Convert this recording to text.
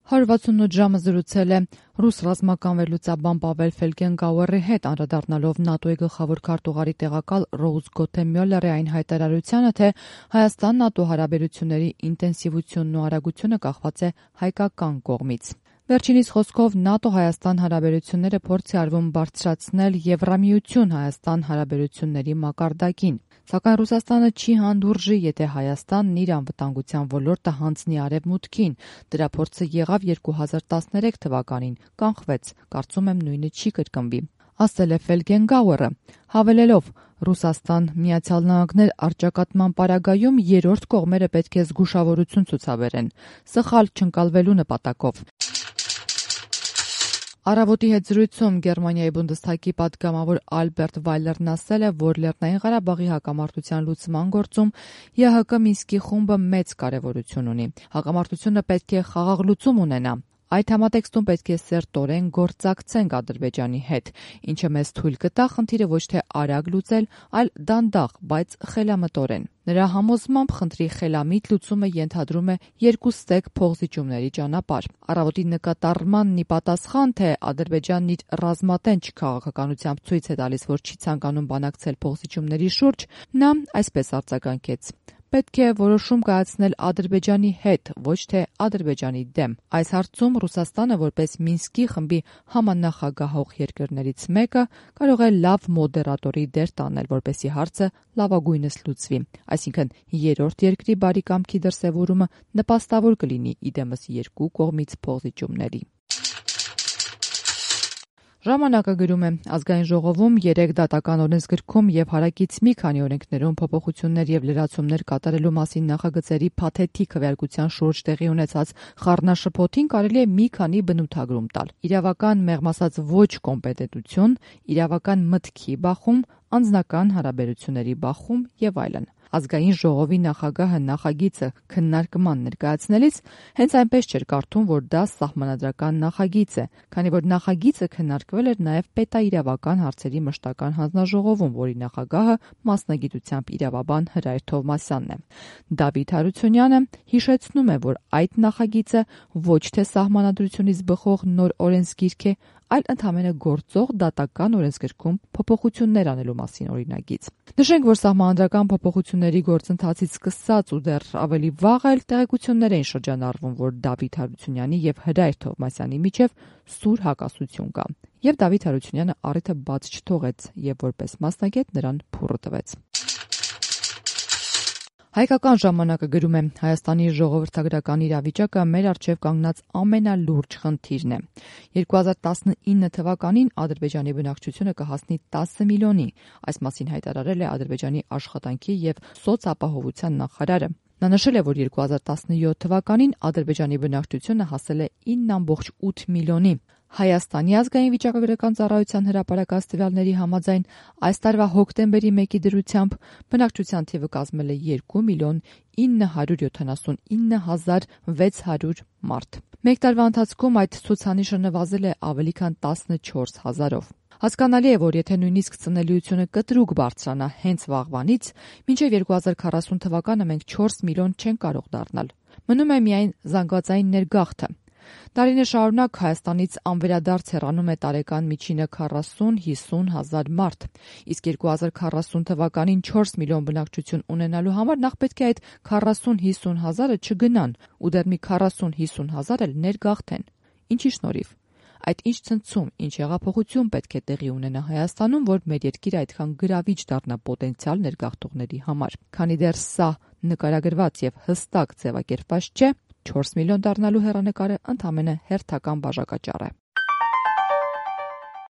168 ժամը զրուցել է ռուս ռազմական վերլուծաբան Պավել Ֆելգենգաուերի հետ, անդրադառնալով ՆԱՏՕ-ի գլխավոր քարտուղարի տեղակալ Ռոուզ Գոթե Մյոլլերի այն հայտարարությանը, թե Հայաստան-ՆԱՏՕ հարաբերությունների ինտենսիվությունն ու արագությունը կախված է հայկական կողմից։ Վերջինիս խոսքով ՆԱՏՕ-Հայաստան հարաբերությունները փորձ է արվում բարձրացնել Եվրամիություն-Հայաստան հարաբերությունների մակարդակին, սակայն Ռուսաստանը չի հանդուրժի, եթե Հայաստանն իր անվտանգության ոլորտը հանձնի Արևմուտքին։ Դրա փորձը եղավ 2013 թվականին, կանխվեց, կարծում եմ նույնը չի կրկնվի, ասել է Ֆելգենգաուերը, հավելելով. Ռուսաստան-Միացյալ Նահանգներ առճակատման պարագայում երրորդ կողմերը պետք է զգուշավորություն ցուցաբերեն, սխալ չընկալվելու նպատակով։ Առավոտի հետ զրույցում Գերմանիայի Բունդեսթագի պատգամավոր Ալբերտ Վայլերն ասել է, որ Լեռնային Ղարաբաղի հակամարտության լուծման գործում ԵՀԿ Մինսկի խումբը մեծ կարևորություն ունի։ Հակամարտությունը պետք է խաղաղ լուծում ունենա։ Այդ համատեքստում պետք է սերտորեն գործակցենք Ադրբեջանի հետ, ինչը մեզ թույլ կտա խնդիրը ոչ թե արագ լուծել, այլ դանդաղ, բայց խելամտորեն։ Նրա համոզմամբ խնդրի խելամիտ լուծումը ենթադրում է երկուստեք փոխզիջումների ճանապարհ։ Առավոտի նկատառմանն ի պատասխան, թե Ադրբեջանն իր ռազմատենչ քաղաքականությամբ ցույց է տալիս, որ չի ցանկանում բանակցել փոխզիջումների շուրջ, նա այսպես արձագանքեց. Պետք է որոշում կայացնել Ադրբեջանի հետ, ոչ թե Ադրբեջանի դեմ։ Այս հարցում Ռուսաստանը, որպես Մինսկի խմբի համանախագահող երկրներից մեկը, կարող է լավ մոդերատորի դեր տանել, որպեսզի հարցը լավագույնս լուծվի։ Այսինքն, երրորդ երկրի բարի կամքի դրսևորումը նպաստավոր կլինի իդեմս երկու կողմից փոխզիջումների։ Ժամանակը գրում է. Ազգային ժողովում 3 դատական օրենսգրքում եւ հարակից մի քանի օրենքներում փոփոխություններ եւ լրացումներ կատարելու մասին նախագծերի փաթեթի քվեարկության շուրջ տեղի ունեցած խառնաշփոթին կարելի է մի քանի բնութագրում տալ. իրավական մեղմ ասած ոչ կոմպետենտություն, իրավական մտքի բախում, անձնական հարաբերությունների բախում եւ այլն։ Ազգային ժողովի նախագահը նախագիծը քննարկման ներկայացնելիս հենց այնպես չէր կարդում, որ դա սահմանադրական նախագիծ է, քանի որ նախագիծը քննարկվել էր նաև պետաիրավական հարցերի մշտական հանձնաժողովում, որի նախագահը մասնագիտությամբ իրավաբան Հրայր Թովմասյանն է։ Դավիթ Հարությունյանը հիշեցնում է, որ այդ նախագիծը ոչ թե սահմանադրությունից բխող նոր օրենսգիրք է, այլ ընդհանրապես գործող դատական օրենսգրքում փոփոխություններ անելու մասին օրինագիծ։ Նշենք, որ սահմանադրական փոփոխությունների գործընթացից սկսած ու դեռ ավելի վաղ էլ տեղեկություններ էին շրջանառվում, որ Դավիթ Հարությունյանի եւ Հրայր Թովմասյանի միջև սուր հակասություն կա։ Եվ Դավիթ Հարությունյանը առիթը բաց չթողեց եւ որպես մասնագետ նրան փուռը տվեց։ Հայկական ժամանակը գրում է. Հայաստանի ժողովրդագրական իրավիճակը մեր առջև կանգնած ամենալուրջ խնդիրն է։ 2019 թվականին Ադրբեջանի բնակչությունը կհասնի 10 միլիոնի։ Այս մասին հայտարարել է Ադրբեջանի աշխատանքի եւ սոցապահովության նախարարը։ Նա նշել է, որ 2017 թվականին Ադրբեջանի բնակչությունը հասել է 9.8 միլիոնի։ Հայաստանի ազգային վիճակագրական ծառայության հրապարակած տվյալների համաձայն այս տարվա հոկտեմբերի 1-ի դրությամբ բնակչության թիվը կազմել է 2 միլիոն 979 հազար 600 մարդ։ Մեկ տարվա ընթացքում այդ ցուցանիշը նվազել է ավելի քան 14 հազարով։ Հասկանալի է, որ եթե նույնիսկ ծնելիությունը կտրուկ բարձրանա հենց վաղվանից, մինչև 2040 թվականը մենք 4 միլիոն չենք կարող դառնալ։ Մնում է միայն զանգվածային ներգաղթը։ Տարիներ շարունակ Հայաստանից անվերադարձ հեռանում է տարեկան միջինը 40-50 հազար մարդ, իսկ 2040 թվականին 4 միլիոն բնակչություն ունենալու համար նախ պետք է այդ 40-50 հազարը չգնան ու դեռ մի 40-50 հազար էլ ներգաղթեն։ Ինչի շնորհիվ։ Այդ ինչ ցնցում, ինչ հեղափոխություն պետք է տեղի ունենա Հայաստանում, որ մեր երկիրը այդքան գրավիչ դառնա պոտենցիալ ներգաղթողների համար։ Քանի դեռ սա նկարագրված եւ հստակ ձևակերպված չէ, 4 միլիոն դառնալու հեռանկարը ընդամենը հերթական բաժակաճառ է։